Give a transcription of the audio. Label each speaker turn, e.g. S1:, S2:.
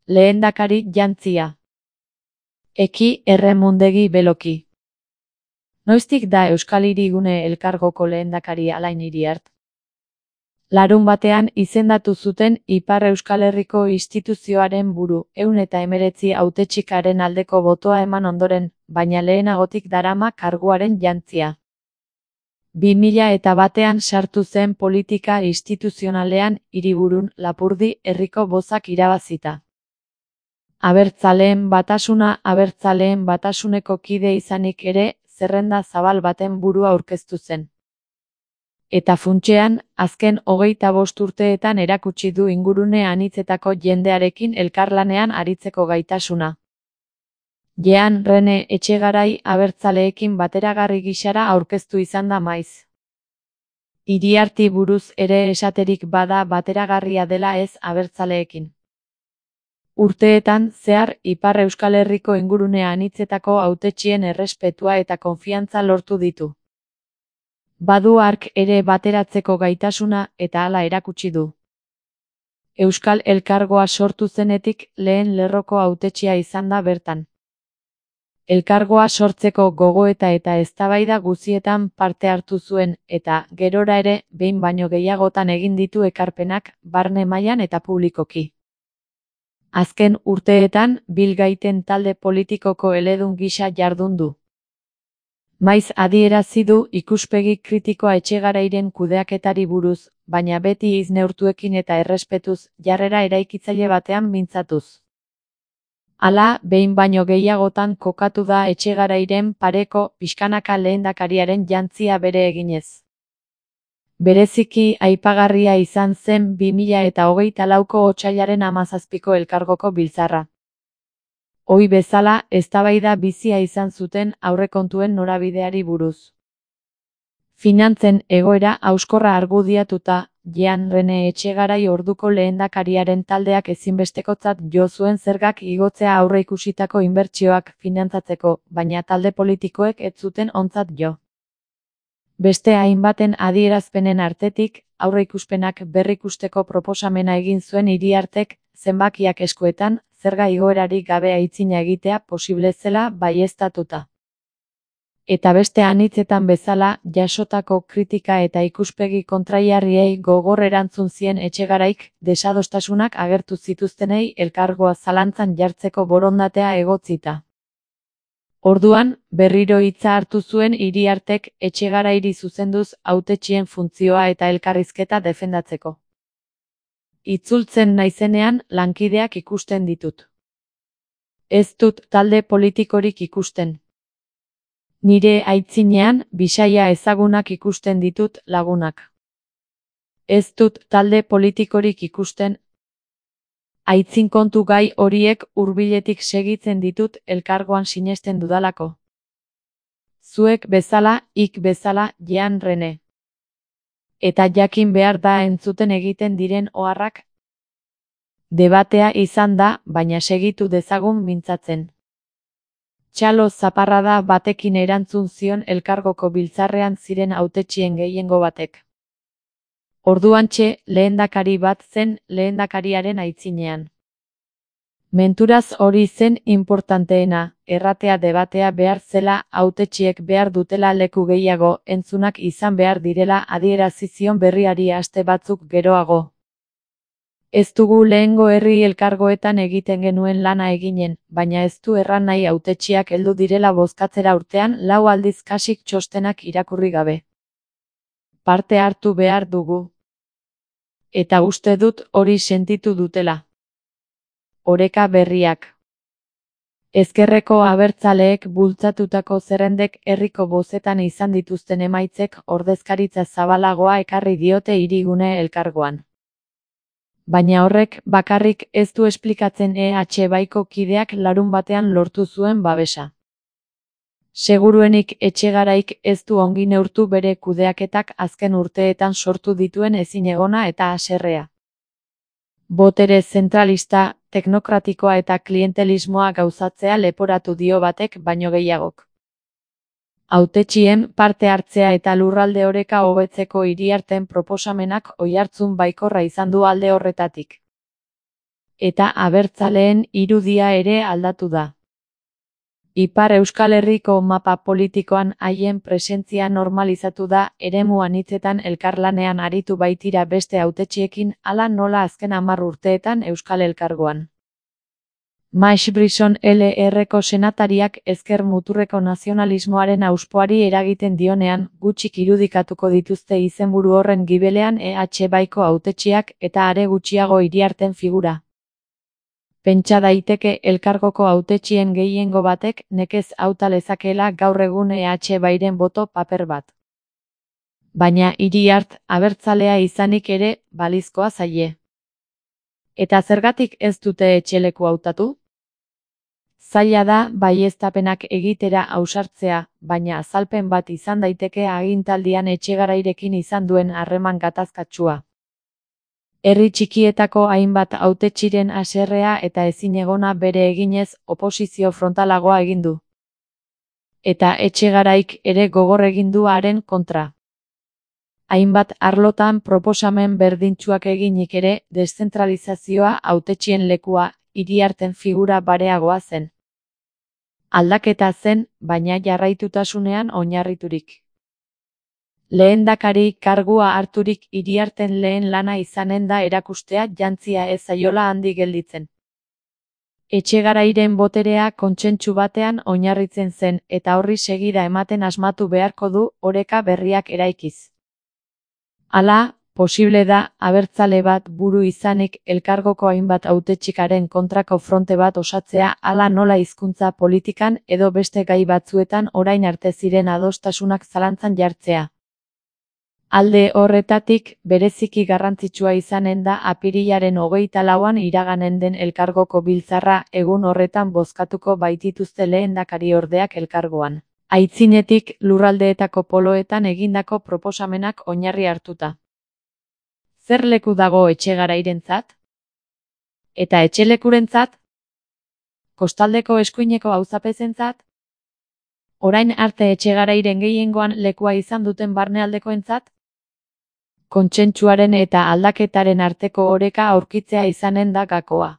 S1: Lehendakari jantzia. Eki Erremundegi Beloki. Noiztik da Euskal Hirigune Elkargoko lehendakari Alain Iriart? Larunbatean izendatu zuten Ipar Euskal Herriko instituzioaren buru, 119 hautetsikaren aldeko botoa eman ondoren, baina lehenagotik darama karguaren jantzia. 2001ean sartu zen politika instituzionalean Hiriburun Lapurdi herriko bozak irabazita. Abertzaleen batasuneko kide izanik ere, zerrenda zabal baten burua aurkeztu zen. Eta funtsean, azken 25 urteetan erakutsi du ingurune anitzetako jendearekin elkarlanean aritzeko gaitasuna. Jean Rene Etxegarai abertzaleekin bateragarri gisara aurkeztu izan da maiz. Iriarti buruz ere esaterik bada bateragarria dela ez abertzaleekin. Urteetan zehar Ipar Euskal Herriko ingurune anitzetako hautetsien errespetua eta konfiantza lortu ditu. Badu hark ere bateratzeko gaitasuna eta hala erakutsi du. Euskal Elkargoa sortu zenetik lehen lerroko hautetsia izan da bertan. Elkargoa sortzeko gogoeta eta eztabaida guztietan parte hartu zuen eta gerora ere behin baino gehiagotan egin ditu ekarpenak barne mailan eta publikoki. Azken urteetan bilgaiten talde politikoko eledun gisa jardun du. Maiz adierazi du ikuspegi kritikoa Etxegarairen kudeaketari buruz, baina beti hitz neurtuekin eta errespetuz, jarrera eraikitzaile batean mintzatuz. Hala, behin baino gehiagotan kokatu da Etxegarairen pareko pixkanaka lehendakariaren jantzia bere eginez. Bereziki aipagarria izan zen 2024ko otsailaren 17ko elkargoko biltzarra. Ohi bezala, eztabaida bizia izan zuten aurrekontuen norabideari buruz. Finantzen egoera hauskorra argudiatuta, Jean Rene Etxegarai orduko lehendakariaren taldeak ezinbestekotzat jo zuen zergak igotzea aurreikusitako inbertsioak finantzatzeko, baina talde politikoek ez zuten ontzat jo. Beste hainbaten adierazpenen artetik, aurreikuspenak berrikusteko proposamena egin zuen Iriartek, zenbakiak eskuetan, zerga igoerari gabe aitzina egitea posible zela baieztatuta. Eta beste anitzetan bezala, jasotako kritika eta ikuspegi kontraiarriei gogor erantzun zien Etxegaraik, desadostasunak agertu zituztenei elkargoa zalantzan jartzeko borondatea egotzita. Orduan, berriro hitza hartu zuen Iriartek Etxegarairi zuzenduz hautetsien funtzioa eta elkarrizketa defendatzeko. Itzultzen naizenean lankideak ikusten ditut. Ez dut talde politikorik ikusten. Nire aitzinean bisaia ezagunak ikusten ditut lagunak. Ez dut talde politikorik ikusten. Aitzin kontu gai horiek hurbiletik segitzen ditut elkargoan sinesten dudalako. Zuek bezala, ik bezala, Jean Rene. Eta jakin behar da entzuten egiten diren oharrak. Debatea izan da, baina segitu dezagun mintzatzen. Txalo zaparrada batekin erantzun zion elkargoko biltzarrean ziren hautetsien gehiengo batek. Orduantxe, lehendakari bat zen lehendakariaren aitzinean. Menturaz hori zen inportanteena, erratea debatea behar zela, hautetsiek behar dutela leku gehiago, entzunak izan behar direla adierazi zion berriari aste batzuk geroago. Ez dugu lehengo herri elkargoetan egiten genuen lana eginen, baina ez du erran nahi hautetsiak heldu direla bozkatzera urtean 4 aldiz kasik txostenak irakurri gabe. Parte hartu behar dugu. Eta uste dut hori sentitu dutela. Oreka berriak. Ezkerreko abertzaleek bultzatutako zerrendek herriko bozetan izan dituzten emaitzek ordezkaritza zabalagoa ekarri diote Hirigune elkargoan. Baina horrek bakarrik ez du esplikatzen EH Baiko kideak larunbatean lortu zuen babesa. Seguruenik Etxegaraik ez du ongi neurtu bere kudeaketak azken urteetan sortu dituen ezinegona eta haserrea. Botere zentralista, teknokratikoa eta klientelismoa gauzatzea leporatu dio batek baino gehiagok. Hautetsien parte hartzea eta lurralde oreka hobetzeko Iriarten proposamenak oihartzun baikorra izan du alde horretatik. eta abertzaleen irudia ere aldatu da. Ipar Euskal Herriko mapa politikoan haien presentzia normalizatu da, eremu anitzetan elkarlanean aritu baitira beste hautetxiekin, hala nola azken 10 urteetan Euskal Elkargoan. Max Brisson LR-ko senatariak ezker muturreko nazionalismoaren auspoari eragiten dionean, gutxik irudikatuko dituzte izenburu horren gibelean EH Baiko hautetxiak eta are gutxiago Iriarten figura. Pentsa daiteke elkargoko hautetxien gehiengo batek nekez hauta lezakeela gaur egun EH Bairen boto paper bat. Baina Iriart abertzalea izanik ere balizkoa zaie. Eta zergatik ez dute etxeleku hautatu? Zaila da baieztapenak egitera ausartzea, baina azalpen bat izan daiteke agintaldian Etxegarairekin izan duen harreman gatazkatsua. Herri txikietako hainbat hautetxiren haserrea eta ezinegona bere eginez oposizio frontalagoa egin du. Eta Etxegaraik ere gogor egin du haren kontra. Hainbat arlotan proposamen berdintsuak eginik ere, deszentralizazioa hautetxien lekua, Iriarten figura bareagoa zen. Aldaketa zen, baina jarraitutasunean oinarriturik. Lehendakari kargua harturik Iriarten lehen lana izanen da erakustea jantzia ez zaiola handi gelditzen. Etxegarairen boterea kontsentsu batean oinarritzen zen eta horri segida ematen asmatu beharko du oreka berriak eraikiz. Hala, posible da abertzale bat buru izanik elkargoko hainbat hautetxikaren kontrako fronte bat osatzea hala nola hizkuntza politikan edo beste gai batzuetan orain arte ziren adostasunak zalantzan jartzea. Alde horretatik, bereziki garrantzitsua izanen da apirilaren 24an iraganen den elkargoko biltzarra egun horretan bozkatuko baitituzte lehendakariordeak elkargoan. Aitzinetik lurraldeetako poloetan egindako proposamenak oinarri hartuta. Zer leku dago Etxegarairentzat? Eta etxelekurentzat? Kostaldeko eskuineko auzapezentzat? Orain arte Etxegarairen gehiengoan lekua izan duten barnealdekoentzat? Kontsentsuaren eta aldaketaren arteko oreka aurkitzea izanen da gakoa.